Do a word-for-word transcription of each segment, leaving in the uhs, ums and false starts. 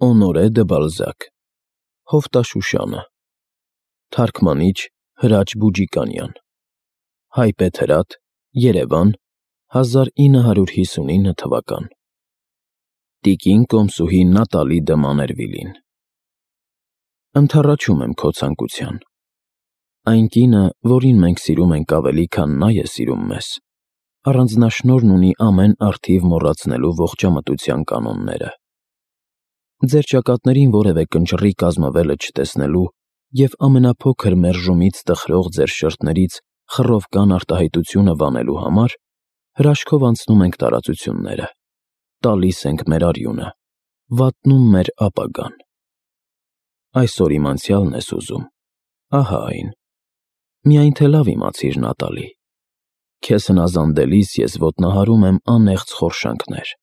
Օնորե դը Բալզակ, Հովտաշուշանը, Թարգմանիչ Հրաչ Բուջիկանյան, Հայբեթ Հրատ, Երևան, հազար ինը հարյուր հիսունինը թվական։ Տիկին կոմսուհի Նատալի դը Մաներվիլին։ Ընդառաջում եմ քո ցանկության։ Այն կինը, որին մենք սիրում ենք ավելի, քան նա է սիրում մեզ, առանձնաշնորհն ունի ամեն առթիվ մոռացնելու ողջամտության կանոնները։ Ձեր ճակատներին որևէ կնճռի կազմվելը չտեսնելու և ամենափոքր մերժումից տխրող ձեր շրթներից խռով կան արտահայտությունը վանելու համար հրաշքով անցնում ենք տարածությունները, տալիս ենք մեր արյունը, վատնում մեր ապագան։ Այսօր իմ անցյալն ես ուզում, ահա այն։ Միայն թե լավ իմացիր, Նատալի, քեզ հնազանդելիս ես ոտնահարում եմ անեղծ խորշանքներ։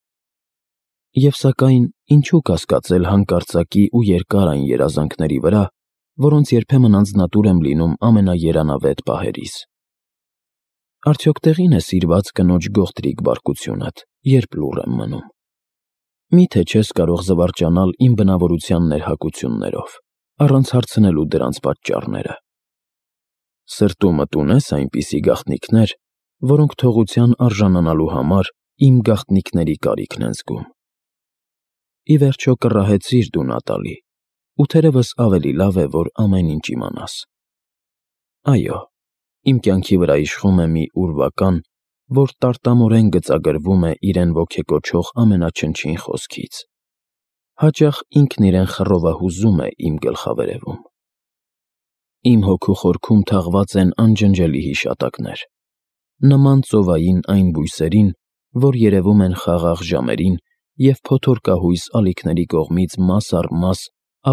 Եվ սակայն ինչու կասկածել հանկարծակի ու երկար այն երազանքների վրա, որոնց երբեմն անձնատուր եմ լինում ամենաերանավետ պահերիս։ Արդյոք տեղին է սիրված կնոջ գողտրիկ բարկությունդ, երբ լուռ եմ մնում։ Մի՞թե չես կարող զվարճանալ իմ բնավորության ներհակություններով, առանց հարցնելու դրանց պատճառները։ Սրտումդ ունե՞ս այնպիսի գաղտնիքներ, որոնք թողության արժանանալու համար իմ գաղտնիքների կարիքն են զգում։ Ի վերջո կռահեցիր դու, Նատալի, ու թերևս ավելի լավ է, որ ամեն ինչ իմանաս։ Այո, իմ կյանքի վրա իշխում է մի ուրվական, որ տարտամորեն գծագրվում է իրեն ոգեկոչող ամենաչնչին խոսքից։ Հաճախ ինքն իրեն խռովահուզում է իմ գլխավերևում։ Իմ հոգու խորքում թաղված են անջնջելի հիշատակներ, նման ծովային այն բույսերին, որ երևում են խաղաղ ժամերին և փոթորկահույս ալիքների կողմից մաս առ մաս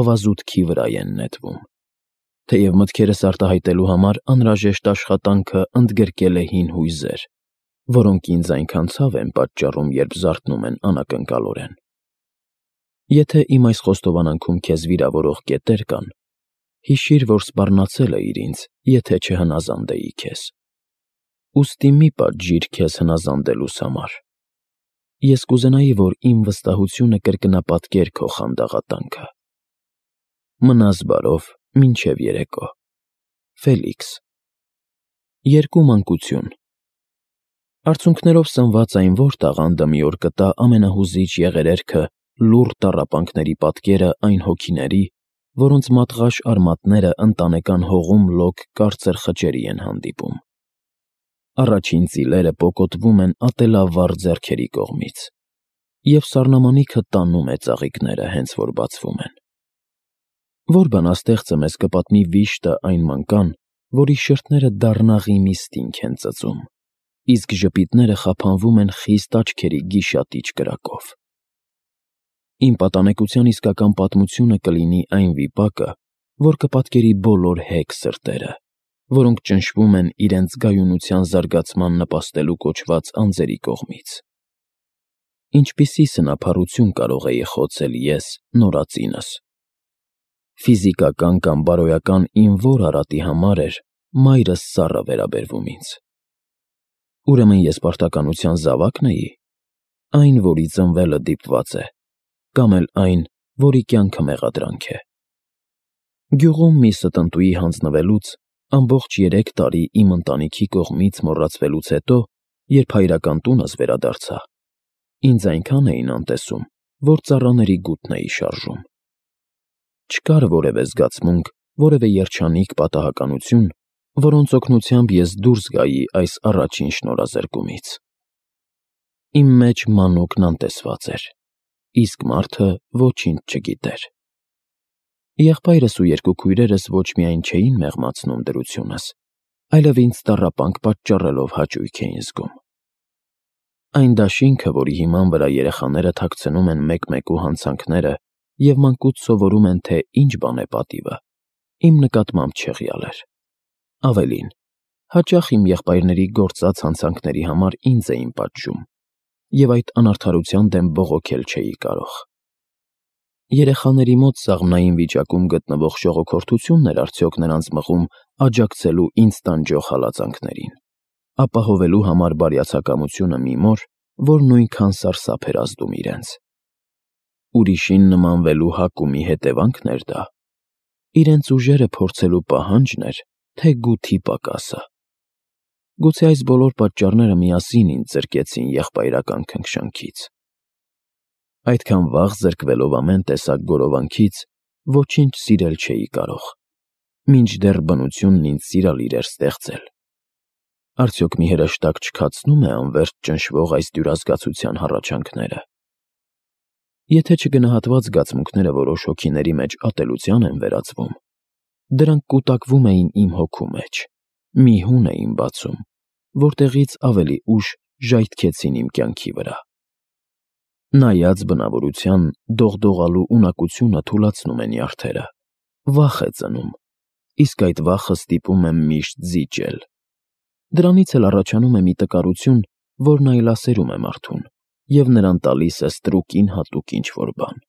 ավազուտքի վրա են նետվում, թեև մտքերս արտահայտելու համար անհրաժեշտ աշխատանքը ընդգրկել է հին հույզեր, որոնք ինձ այնքան ցավ են պատճառում, երբ զարթնում են անակնկալորեն։ Եթե իմ այս խոստովանանքում քեզ վիրավորող կետեր կան, հիշիր, որ սպառնացել էիր ինձ, եթե չհնազանդեի քեզ։ Ուստի մի պատժիր քեզ հնազանդելուս համար։ Ես կուզենայի, որ իմ վստահությունը կրկնապատկեր քո խանդաղատանքը։ Մնաս բարով մինչև երեկո։ Ֆելիքս։ Երկու մանկություն։ Արցունքներով սնված այն որ տաղանդը մի օր կտա ամենահուզիչ եղերերքը լուռ տառապանքների պատկերը այն հոգիների, որոնց մատղաշ արմատները ընտանեկան հողում լոկ կարծր խճերի են հանդիպում։ Առաջին ծիլերը պոկոտվում են ատելավառ ձեռքերի կողմից, և սառնամանիքը տանում է ծաղիկները, հենց որ բացվում են։ Որ բանաստեղծը մեզ կպատմի վիշտը այն մանկան, որի շրթները դառնաղի մի ստինգ են ծծում, իսկ ժպիտները խափանվում են խիստ աչքերի գիշատիչ կրակով։ Իմ պատանեկության իսկական պատմությունը կլինի այն վիպակը, որ կպատկերի բոլոր հեգ սրտերը, որոնք ճնշվում են իրենց գայունության զարգացման նպաստելու կոչված անձերի կողմից։ Ինչպիսի սնափառություն կարող էի խոցել ես նորածինս։ Ֆիզիկական կամ բարոյական իմ որ արատի համար էր մայրս սառը վերաբերվում ինձ։ Ուրեմն ես պարտականության զավա՞կն էի, այն, որի ծնվելը դիպված է, կամ էլ այն, որի կյանքը մեղադրանք է։ Գյուղում մի ստընտուի հանձնվելուց, ամբողջ երեք տարի իմ ընտանիքի կողմից մոռացվելուց հետո, երբ հայրական տունս վերադարձա, ինձ այնքան էին անտեսում, որ ծառաների գութն էի շարժում։ Չկար որևէ զգացմունք, որևէ երջանիկ պատահականություն, որոնց օգնությամբ ես դուրս գայի այս առաջին շնորհազրկումից։ Իմ մեջ մանուկն անտեսված էր, իսկ մարդը ոչինչ չգիտեր։ Եղբայրս ու երկու քույրերս ոչ միայն չէին մեղմացնում դրությունս, այլև ինձ տառապանք պատճառելով հաճույք էին զգում։ Այն դաշինքը, որի հիման վրա երեխաները թաքցնում են մեկ-մեկու հանցանքները և մանկուց սովորում են, թե ինչ բան է պատիվը, իմ նկատմամբ չեղյալ էր։ Ավելին, հաճախ իմ եղբայրների գործած հանցանքների համար ինձ էին պատժում, և այդ անարդարության դեմ բողոքել չէի կարող։ Երեխաների մոտ սաղմնային վիճակում գտնվող ժողոքորթությունն էր արդյոք նրանց մղում աջակցելու ինձ տանջող հալածանքներին, ապահովելու համար բարյացակամությունը մի մոր, որ նույնքան սարսափ էր ազդում իրենց։ ուրիշին նմանվելու հակումի հետևանքն էր դա, իրենց ուժերը փորձելու պահանջն էր, թե գութի պակասը։ Գուցե այս բոլոր պատճառները միասին ինձ զրկեցին եղբայրական քնքշանքից։ Այդքան վաղ զրկվելով ամեն տեսակ գորովանքից, ոչինչ սիրել չէի կարող, մինչդեռ բնությունն ինձ սիրալիր էր ստեղծել։ Արդյոք մի հրեշտակ չքացնո՞ւմ է անվերջ ճնշվող այս դյուրազգացության հառաչանքները։ Եթե չգնահատված զգացմունքները որոշ հոգիների մեջ ատելության են վերածվում, դրանք կուտակվում էին իմ հոգու մեջ, մի հուն էին բացում, որտեղից ավելի ուշ ժայթքեցին իմ կյանքի վրա։ Նայած բնավորության դողդողալու ունակությունը թուլացնում է նյարդերը, վախ է ծնում, իսկ այդ վախը ստիպում է միշտ զիջել։ Դրանից էլ առաջանում է մի տկարություն, որն այլասերում է մարդուն, և նրան տալիս է ստրուկին հատուկ ինչ-որ բան։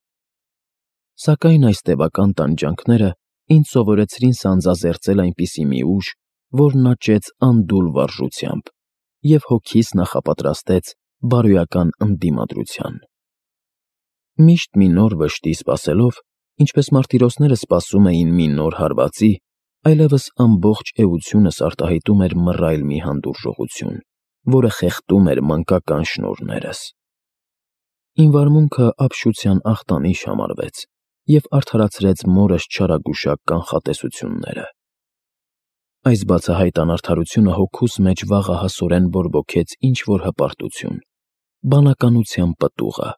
Սակայն այս տևական տանջանքները ինձ սովորեցրին սանձազերծել այնպիսի մի ուժ, որն աճեց անդուլ վարժությամբ և հոգիս նախապատրաստեց բարոյական ընդդիմադրության։ Միշտ մի նոր վշտի սպասելով, ինչպես մարտիրոսները սպասում էին մի նոր հարվածի, այլևս ամբողջ էությունս արտահայտում էր մռայլ մի հանդուրժողություն, որը խեղդում էր մանկական շնորհներս։ Իմ վարմունքը ապշության ախտանիշ համարվեց և արդարացրեց մորս չարագուշակ կանխատեսությունները։ Այս բացահայտ անարդարությունը հոգուս մեջ վաղահասորեն բորբոքեց ինչ-որ հպարտություն, բանականության պտուղը,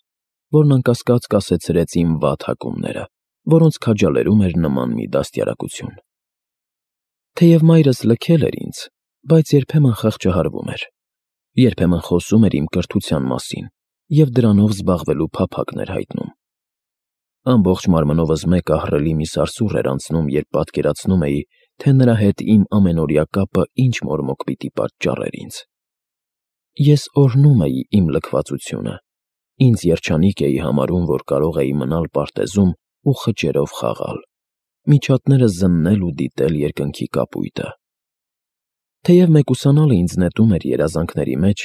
որն անկասկած կասեցրեց իմ վատ հակումները, որոնց քաջալերում էր նման մի դաստիարակություն։ Թեև մայրս լքել էր ինձ, բայց երբեմն խղճահարվում էր, երբեմն խոսում էր իմ կրթության մասին և դրանով զբաղվելու փափագն էր հայտնում։ Ամբողջ մարմնովս մեկ ահռելի մի սարսուռ էր անցնում, երբ պատկերացնում էի, թե նրա հետ իմ ամենօրյա կապը ինչ մորմոք պիտի պատճառեր ինձ։ Ես օրհնում էի իմ լքվածությունը, ինձ երջանիկ էի համարում, որ կարող էի մնալ պարտեզում ու խճերով խաղալ, միջատները զննել ու դիտել երկնքի կապույտը։ Թեև մեկուսանալը ինձ նետում էր երազանքների մեջ,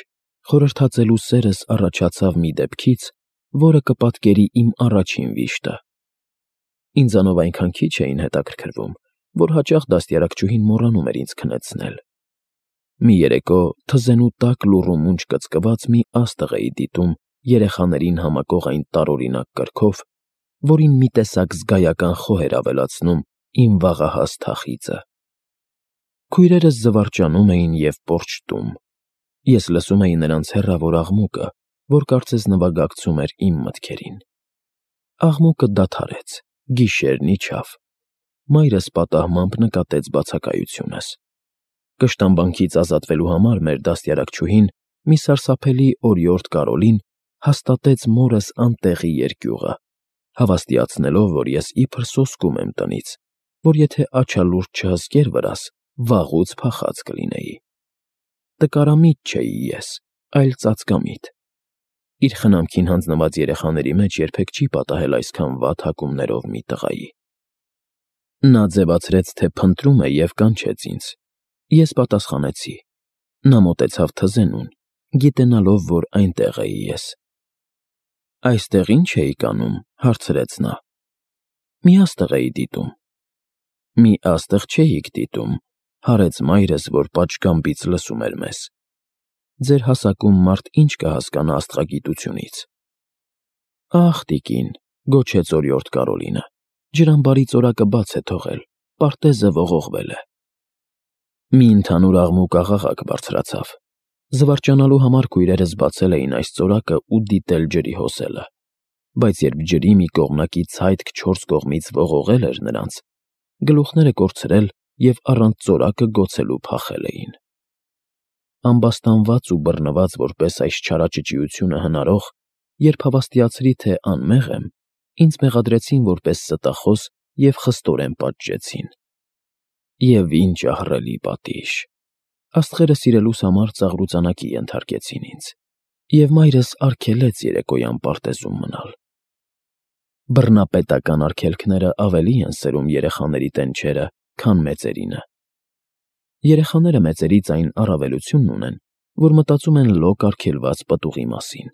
խորհրդածելու սերս առաջացավ մի դեպքից, որը կպատկերի իմ առաջին վիշտը։ Ինձանով այնքան քիչ էին հետաքրքրվում, որ հաճախ դաստիարակչուհին մոռանում էր ինձ քնեցնել։ Մի երեկո թզենու տաք լուռ ու մունջ կծկված մի աստղ էի դիտում երեխաներին համակող այն տարօրինակ կրքով, որին մի տեսակ զգայական խոհ էր ավելացնում իմ վաղահաս թախիծը։ Քույրերս զվարճանում էին և պոռչտում։ Ես լսում էի նրանց հեռավոր աղմուկը, որ կարծես նվագակցում էր իմ մտքերին։ Աղմուկը դադարեց, գիշերն իջավ։ Մայրս պատահմամբ նկատեց բացակայությունս։ Կշտամբանքից ազատվելու համար մեր դաստիարակչուհին, մի սարսափելի օրիորդ Կարոլին, հաստատեց մորս անտեղի երկյուղը, հավաստիացնելով, որ ես իբր սոսկում եմ տնից, որ եթե աչալուրջ չհսկեր վրաս, վաղուց փախած կլինեի։ Տկարամիտ չէի ես, այլ ծածկամիտ։ Իր խնամքին հանձնված երեխաների մեջ երբեք չի պատահել այսքան վատ հակումներով մի տղայի։ Նա ձևացրեց, թե փնտրում է և կանչեց ինձ։ Ես պատասխանեցի։ Նա մոտեցավ թզենուն, գիտենալով, որ այնտեղ էի ես։ «Այստեղ ի՞նչ էիք անում,֊ հարցրեց նա։ «Մի աստղ էի դիտում»։ «Մի աստղ չէիք դիտում,֊ հարեց մայրս, որ պատշգամբից լսում էր մեզ։ Ձեր հասակում մարդ ինչ կհասկանա աստղագիտությունից»։ «Ախ, տիկին,֊ գոչեց օրիորդ Կարոլինը,֊ ջրամբարի ծորակը բաց է թողել, պարտեզը ողողվել է»։ Մի ընդհանուր աղմուկ֊աղաղակ բարձրացավ։ Զվարճանալու համար քույրերս բացել էին այս ծորակը ու դիտել ջրի հոսելը, բայց երբ ջրի մի կողմնակի ցայտք չորս կողմից ողողել էր նրանց, գլուխները կորցրել և առանց ծորակը գոցելու փախել էին։ Ամբաստանված ու բռնված որպես այս չարաճճիությունը հնարող, երբ հավաստիացրի, թե անմեղ եմ, ինձ մեղադրեցին որպես ստախոս և խստորեն պատժեցին։ Եվ ինչ ահռելի պատիժ… Աստղերը սիրելուս համար ծաղրուծանակի ենթարկեցին ինձ, և մայրս արգելեց երեկոյան պարտեզում մնալ։ Բռնապետական արգելքները ավելի են սրում երեխաների տենչերը, քան մեծերինը։ Երեխաները մեծերից այն առավելությունն ունեն, որ մտածում են լոկ արգելված պտուղի մասին։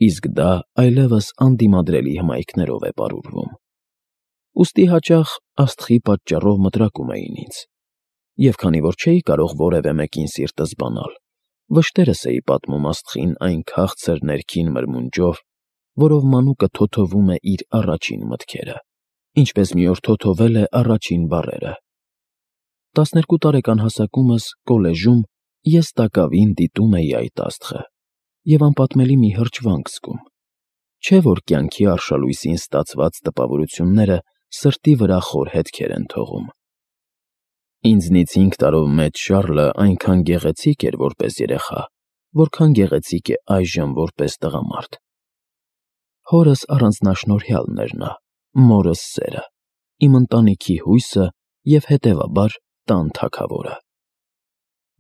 իսկ դա այլևս անդիմադրելի հմայքներով է պարուրվում։ Ուստի հաճախ աստղի պատճառով մտրակում էին ինձ, և քանի որ չէի կարող որևէ մեկին սիրտս բանալ, վշտերս էի պատմում աստղին այն քաղցր ներքին մրմունջով, որով մանուկը թոթովում է իր առաջին մտքերը, ինչպես մի օր թոթովել է առաջին բառերը։ Տասներկու տարեկան հասակումս կոլեժում ես տակավին դիտում էի այդ աստղը և անպատմելի մի հրճվանք զգում, չէ՞ որ կյանքի արշալույսին ստացված տպավորությունները սրտի վրա խոր հետքեր են թողում։ Ինձնից հինգ տարով մեծ Շառլը այնքան գեղեցիկ էր որպես երեխա, որքան գեղեցիկ է այժմ որպես տղամարդ։ Հորս առանձնաշնորհյալն էր նա, մորս սերը, իմ ընտանիքի հույսը և, հետևաբար, տան թագավորը։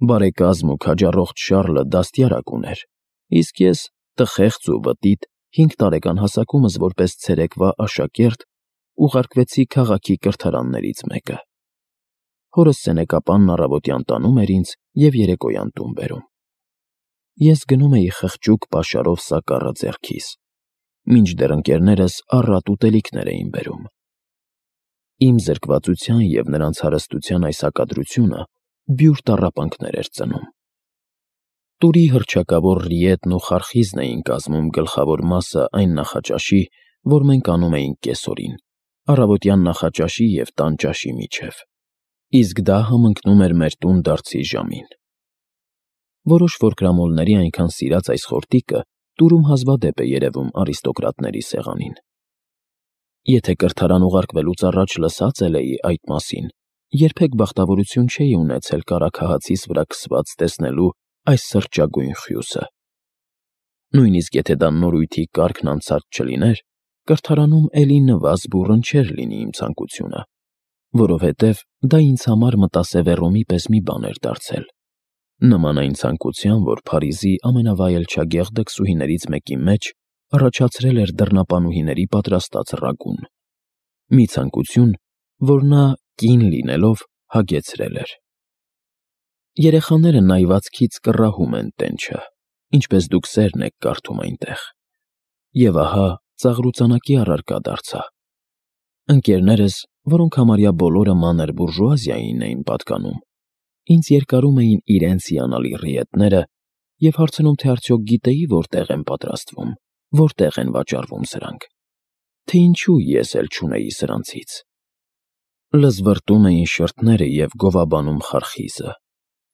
Բարեկազմ ու քաջառողջ Շառլը դաստիարակ ուներ, իսկ ես, տխեղծ ու բտիտ, հինգ տարեկան հասակումս որպես ցերեկվա աշակերտ ուղարկվեցի քաղաքի կրթարաններից մեկը։ Հորս սենեկապանն առավոտյան տանում էր ինձ և երեկոյան տուն բերում։ Ես գնում էի խղճուկ պաշարով սակառը ձեռքիս, մինչդեռ ընկերներս առատ ուտելիքներ էին բերում։ Իմ զրկվածության և նրանց հարստության այս հակադրությունը բյուր տառապանքներ էր ծնում։ Տուրի հռչակավոր ռիետն ու խարխիզն էին կազմում գլխավոր մասը այն նախաճաշի, որ մենք անում էինք կեսօրին, առավոտյան նախաճաշի և տան ճաշի միջև, իսկ դա համընկնում էր մեր տուն դարձի ժամին։ Որոշ որկրամոլների այնքան սիրած այս խորտիկը տուրում հազվադեպ է երևում արիստոկրատների սեղանին։ Եթե կրթարան ուղարկվելուց առաջ լսած էլ էի այդ մասին, երբեք բախտավորություն չէի ունեցել կարագահացիս վրա քսված տեսնելու այս սրճագույն խյուսը։ Նույնիսկ եթե դա նորույթի կարգն անցած չլիներ, կրթարանում էլի նվազ-բուռն չէր լինի իմ ցանկությունը, որովհետև դա ինձ համար մտասևեռումի պես մի բան էր դարձել, նման այն ցանկության, որ Փարիզի ամենավայելչագեղ դքսուհիներից մեկի մեջ առաջացրել էր դռնապանուհիների պատրաստած ռագուն, մի ցանկություն, որ նա, կին լինելով, հագեցրել էր։ Երեխաները նայվածքից կռահում են տենչը, ինչպես դուք սերն եք կարդում այնտեղ։ Եվ ահա ծաղրուծանակի առարկա դարձա։ Ընկերներս, որոնք համարյա բոլորը մանր բուրժուազիային էին պատկանում, ինձ երկարում էին իրենց հիանալի ռիետները և հարցնում, թե արդյոք գիտեի որտեղ են պատրաստվում, որտեղ են վաճառվում սրանք, թե ինչու ես էլ չունեի սրանցից։ Լզվռտում էին շրթները և գովաբանում խարխիզը,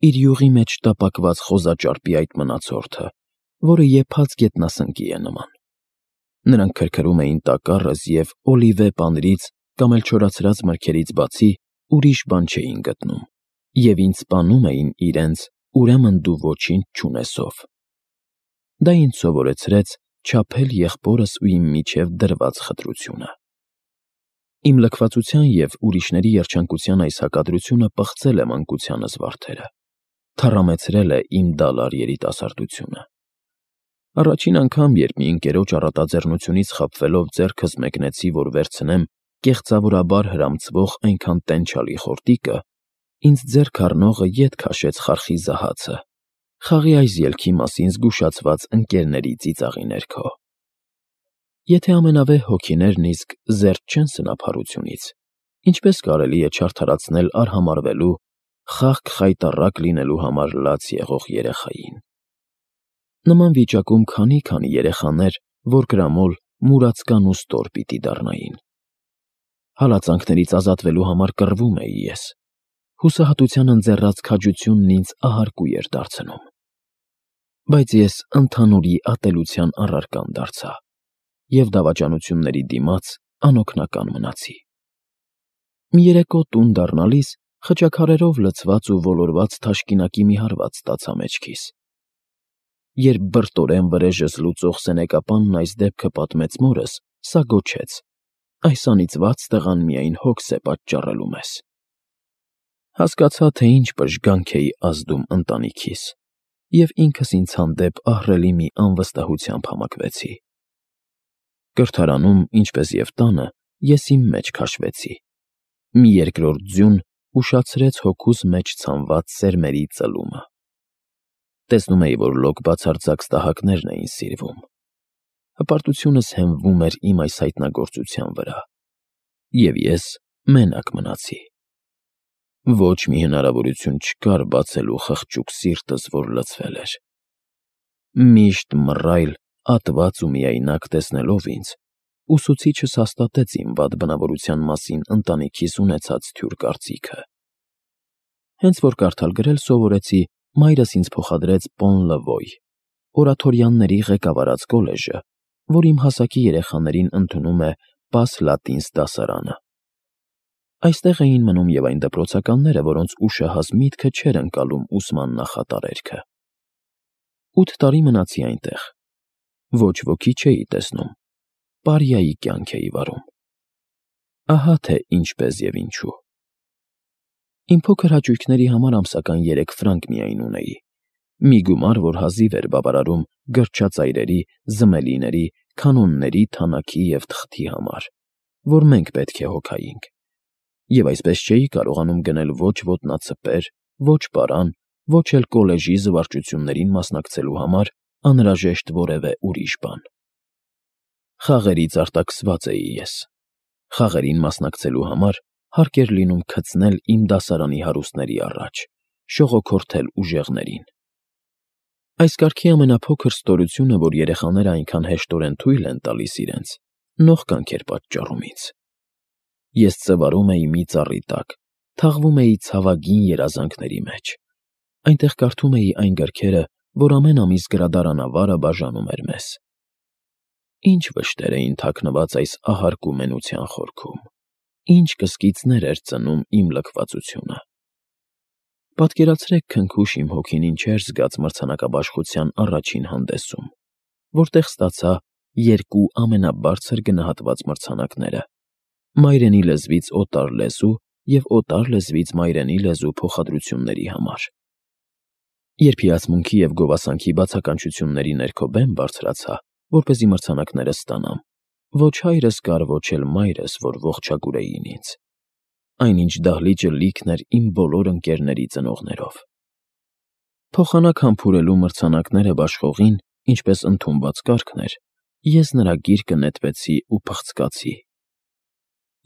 իր յուղի մեջ տապակված խոզաճարպի այդ մնացորդը, որը եփած գետնասնկի է նման։ Նրանք քրքրում էին տակառս և օլիվե պանրից կամ էլ չորացրած մրգերից բացի ուրիշ բան չէին գտնում և ինձ սպանում էին իրենց «ուրեմն դու ոչինչ չունես»-ով։ Դա ինձ սովորեցրեց չափել եղբորս ու իմ միջև դրված խտրությունը։ Իմ լքվածության և ուրիշների երջանկության այս հակադրությունը պղծել է մանկությանս վարդերը, թառամեցրել է իմ դալար երիտասարդությունը։ Առաջին անգամ, երբ մի ընկերոջ առատաձեռնությունից խաբվելով ձեռքս մեկնեցի, որ վերցնեմ կեղծավորաբար հրամցվող այնքան տենչալի խորտիկը, ինձ ձեռք առնողը ետ քաշեց խարխիզը հացը, խաղի այս ելքի մասին զգուշացված ընկերների ծիծաղի ներքո։ Եթե ամենավեհ հոգիներն իսկ զերծ չեն սնափառությունից, ինչպես կարելի է չարդարացնել արհամարհվելու, խաղք խայտառակ լինելու համար լաց եղող երեխային։ Նման վիճակում քանի՛֊քանի երեխաներ որկրամոլ, մուրացկան ու ստոր պիտի դառնային։ Հալածանքներից ազատվելու համար կռվում էի ես, հուսահատության ընձեռած քաջությունն ինձ ահարկու էր դարձնում։ Բայց ես ընդհանուրի ատելության առարկան դարձա և դավաճանությունների դիմաց անօգնական մնացի։ Մի երեկո տուն դառնալիս խճաքարերով լցված ու ոլորված թաշկինակի մի հարված ստացա մեջքիս։ Երբ բրտորեն վրեժս լուծող սենեկապանն այս դեպքը պատմեց մորս, սա գոչեց. «Այս անիծված տղան միայն հոգս է պատճառելու մեզ»։ Հասկացա, թե ինչ պժգանք էի ազդում ընտանիքիս, և ինքս ինձ հանդեպ ահռելի մի անվստահությամբ համակվեցի։ Կրթարանում, ինչպես և տանը, ես իմ մեջ քաշվեցի։ Մի երկրորդ ձյուն ուշացրեց հոգուս մեջ ցանված սերմերի ծլումը։ Տեսնում էի, որ լոկ բացարձակ ստահակներն էին սիրվում։ Հպարտությունս հենվում էր իմ այս հայտնագործության վրա, և ես մենակ մնացի։ Ոչ մի հնարավորություն չկար բացելու խղճուկ սիրտս, որ լցվել էր։ Միշտ մռայլ, ատված ու միայնակ տեսնելով ինձ, ուսուցիչս հաստատեց իմ վատ բնավորության մասին ընտանիքիս ունեցած թյուր կարծիքը։ Հենց որ կարդալ֊գրել սովորեցի, մայրս ինձ փոխադրեց Պոն Լվոյ, օրաթորյանների ղեկավարած կոլեժը, որ իմ հասակի երեխաներին ընդունում է Պաս Լատինս դասարանը։ Այստեղ էին մնում և այն դպրոցականները, որոնց ուշահաս միտքը չէր ընկալում ուսման նախատարերքը։ Ութ տարի մնացի այնտեղ։ Ոչ ոքի չէի տեսնում, պարիայի կյանք էի վարում։ Ահա թե ինչպես և ինչու։ Իմ փոքր հաճույքների համար ամսական երեք ֆրանկ միայն ունեի, մի գումար, որ հազիվ էր բավարարում գրչածայրերի, զմելիների, կանոնների, թանաքի և թղթի համար, որ մենք պետք է հոգայինք, և այսպես չէի կարողանում գնել ոչ ոտնացպեր, ոչ պարան, ոչ էլ կոլեժի զվարճություններին մասնակցելու համար անհրաժեշտ որևէ ուրիշ բան։ Խաղերից արտաքսված էի ես։ Խաղերին մասնակցելու համար հարկ էր լինում քծնել իմ դասարանի հարուստների առաջ, շողոքորթել ուժեղներին։ Այս կարգի ամենափոքր ստորությունը, որ երեխաները այնքան հեշտորեն թույլ են տալիս իրենց, նողկանք էր պատճառում ինձ։ Ես ծվարում էի մի ծառի տակ, թաղվում էի ցավագին երազանքների մեջ, այնտեղ կարդում էի այն գրքերը, որ ամեն ամիս գրադարանավարը բաժանում էր մեզ։ Ինչ վշտեր էին թաքնված այս ահարկու մենության խորքում, ինչ կսկիծներ էր ծնում իմ լքվածությունը։ Պատկերացրեք քնքուշ իմ հոգին ինչեր զգաց մրցանակաբաշխության առաջին հանդեսում, որտեղ ստացա երկու ամենաբարձր գնահատված մրցանակները՝ մայրենի լեզվից օտար լեզու և օտար լեզվից մայրենի լեզու փոխադրությունների համար։ Երբ հիացմունքի և գովասանքի բացականչությունների ներքո բեմ բարձրացա, որպեսզի մրցանակները ստանամ, ոչ հայրս կար, ոչ էլ մայրս, որ ողջագուրեին ինձ։ Այնինչ դահլիճը լիքն էր իմ բոլոր ընկերների ծնողներով։ Փոխանակ համբուրելու մրցանակները բաշխողին, ինչպես ընդունված կարգն էր, ես նրա գիրկը նետվեցի ու փղցկացի։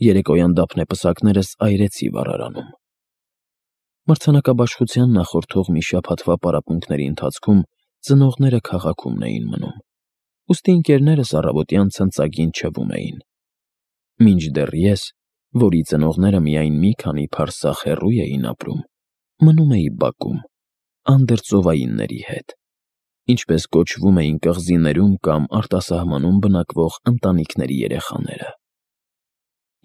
Երեկոյան դափնեպսակներս այրեցի վառարանում։ Մրցանակաբաշխության նախորդող մի շաբաթվա պարապմունքների ընթացքում ծնողները քաղաքում էին մնում, ուստի ընկերներս առավոտյան ցնծագին չվում էին, մինչդեռ ես, որի ծնողները միայն մի քանի փարսախ հեռու էին ապրում, մնում էի բակում, անդրծովայինների հետ, ինչպես կոչվում էին կղզիներում կամ արտասահմանում բնակվող ընտանիքների երեխաները։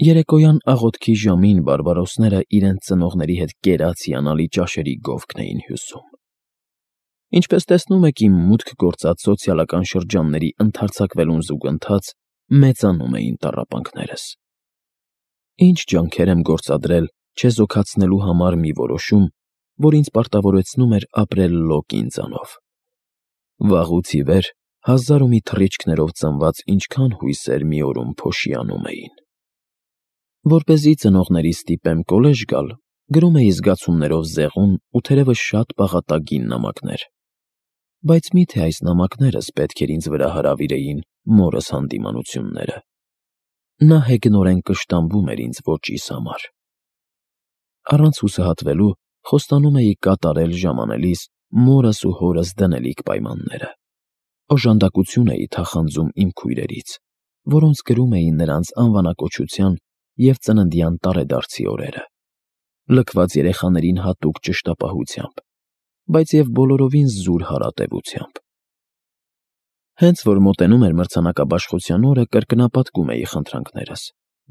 Երեկոյան աղոթքի ժամին բարբարոսները իրենց ծնողների հետ կերած հիանալի ճաշերի գովքն էին հյուսում։ Ինչպես տեսնում եք, իմ մուտք գործած սոցիալական շրջանների ընդարձակվելուն զուգընթաց մեծանում էին տառապանքներս։ Ինչ ջանքեր եմ գործադրել չեզոքացնելու համար մի որոշում, որ ինձ պարտավորեցնում էր ապրել լոկ ինձանով։ Վաղուց ի վեր հազար ու մի թռիչքներով ծնված ինչքան հույսեր մի օրում փոշիանում էին։ Որպեսզի ծնողներիս ստիպեմ կոլեժ գալ, գրում էի զգացումներով զեղուն ու թերևս շատ պաղատագին նամակներ, բայց մի՞թե այս նամակներս պետք էր ինձ վրա հրավիրեին մորս հանդիմանությունները։ Նա հեգնորեն կշտամբում էր ինձ ոճիս համար։ Առանց հուսահատվելու խոստանում էի կատարել ժամանելիս մորս ու հորս դնելիք պայմանները։ Օժանդակություն էի թախանձում իմ քույրերից, որոնց գրում էի նրանց անվանակոչության և ծննդյան տարեդարձի օրերը, լքված երեխաներին հատուկ ճշտապահությամբ, բայց և բոլորովին զուր հարատևությամբ։ Հենց որ մոտենում էր մրցանակաբաշխության օրը, կրկնապատկում էի խնդրանքներս,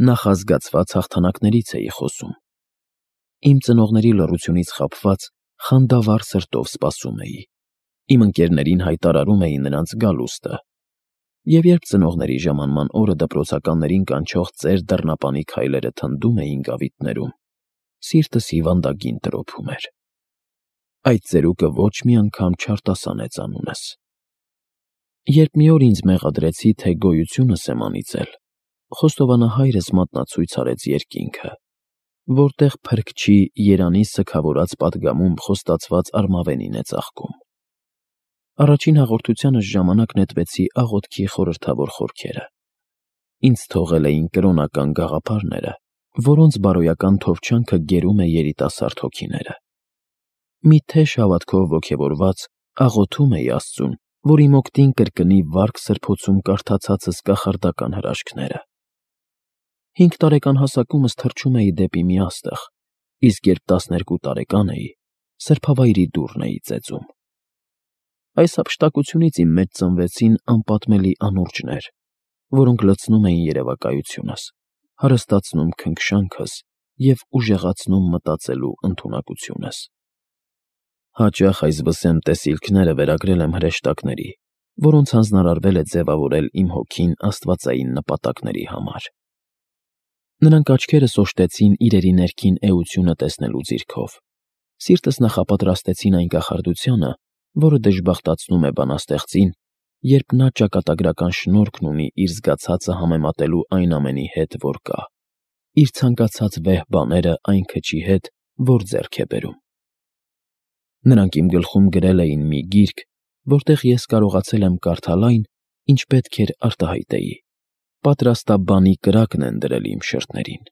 նախազգացված հաղթանակներից էի խոսում։ Իմ ծնողների լռությունից խաբված խանդավառ սրտով սպասում էի, իմ ընկերներին հայտարարում էի նրանց գալուստը, և երբ ծնողների ժամանման օրը դպրոցականներին կանչող ծեր դռնապանի քայլերը թնդում էին գավիթներում, սիրտս հիվանդագին տրոփում էր։ Այդ ծերուկը ոչ մի անգամ չարտասանեց անունս։ Երբ մի օր ինձ մեղադրեցի, թե գոյությունս եմ անիծել, խոստովանահայրս մատնացույց արեց երկինքը, որտեղ Փրկչի Երանի սգավորած պատգամում խոստացված արմավենին է ծաղկում։ Առաջին հաղորդությանս ժամանակ նետվեցի աղոթքի խորհրդավոր խորքերը։ Ինձ թողել էին կրոնական գաղափարները, որոնց բարոյական թովչանքը գերում է երիտասարդ հոգիները։ Մի թեժ հավատքով ոգևորված աղոթում էի Աստծուն, որ իմ օգտին կրկնի վարք սրբոցում կարդացածս կախարդական հրաշքները։ Հինգ տարեկան հասակումս թռչում էի դեպի մի աստղ, իսկ երբ տասներկու տարեկան էի, սրբավայրի դուռն էի ծեծում։ Այս հափշտակությունից իմ մեջ ծնվեցին անպատմելի անուրջներ, որոնք լցնում էին երևակայությունս, հարստացնում քնքշանքս և ուժեղացնում մտածելու ընդունակությունս։ Հաճախ այս վսեմ տեսիլքները վերագրել եմ հրեշտակների, որոնց հանձնարարվել է ձևավորել իմ հոգին աստվածային նպատակների համար։ Նրանք աչքերս օժտեցին իրերի ներքին էությունը տեսնելու ձիրքով, սիրտս նախապատրաստեցին այն կախարդությանը, որը դժբախտացնում է բանաստեղծին, երբ նա ճակատագրական շնորհքն ունի իր զգացածը համեմատելու այն ամենի հետ, որ կա, իր ցանկացած վեհ բաները այն քչի հետ, որ ձեռք է բերում։ Նրանք իմ գլխում գրել էին մի գիրք, որտեղ ես կարողացել եմ կարդալ այն, ինչ պետք էր արտահայտեի, պատրաստաբանի կրակն են դրել իմ շրթերին։